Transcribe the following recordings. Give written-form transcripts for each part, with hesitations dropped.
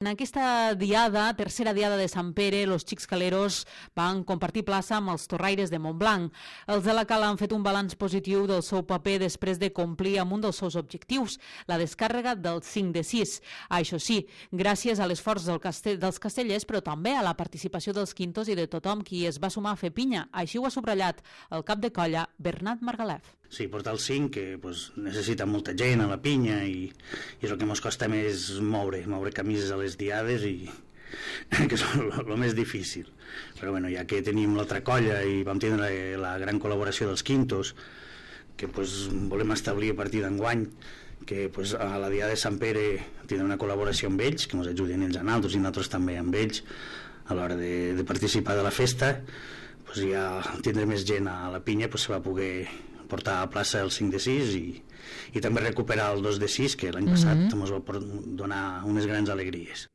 En aquesta diada, tercera diada de Sant Pere, els xics caleros van compartir plaça amb els torraires de Montblanc. Els de la Cala han fet un balanç positiu del seu paper després de complir amb un dels seus objectius, la descàrrega del 5 de 6. Això sí, gràcies a l'esforç dels castellers, però també a la participació dels quintos i de tothom qui es va sumar a fer pinya. Així ho ha subratllat el cap de colla, Bernat Margalef. Sí, portar el 5, que necessita molta gent a la pinya i és el que ens costa més moure camises a les diades i que és el més difícil. Però bueno, ja que tenim l'altra colla i vam tindre la gran col·laboració dels quintos, que volem establir a partir d'enguany, que a la diada de Sant Pere tindrem una col·laboració amb ells, que ens ajuden ells a nosaltres i nosaltres també amb ells a l'hora de participar de la festa. Ja tindrem més gent a la pinya, se va poder portar a plaça el 5 de 6 i també recuperar el 2 de 6, que l'any passat ens va donar unes grans alegries.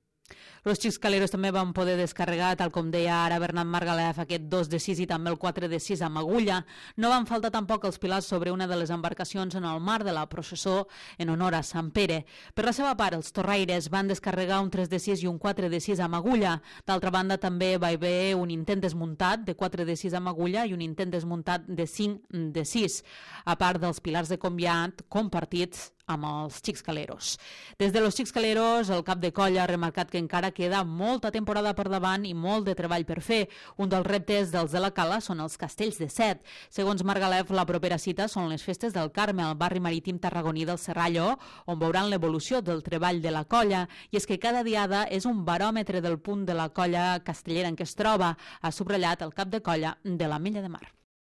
Els xics caleros també van poder descarregar, tal com deia ara Bernat Margalef, aquest 2 de 6 i també el 4 de 6 amb agulla. No van faltar tampoc els pilars sobre una de les embarcacions en el mar de la processó en honor a Sant Pere. Per la seva part, els torraires van descarregar un 3 de 6 i un 4 de 6 amb agulla. D'altra banda, també va haver un intent desmuntat de 4 de 6 amb agulla i un intent desmuntat de 5 de 6, a part dels pilars de conviat compartits amb els xics caleros. Des de los xics caleros, el cap de colla ha remarcat que encara queda molta temporada per davant i molt de treball per fer. Un dels reptes dels de la Cala són els castells de set. Segons Margalef, la propera cita són les festes del Carme, al barri marítim tarragoní del Serrallo, on veuran l'evolució del treball de la colla. I és que cada diada és un baròmetre del punt de la colla castellera en què es troba, ha subratllat el cap de colla de l'Ametlla de Mar.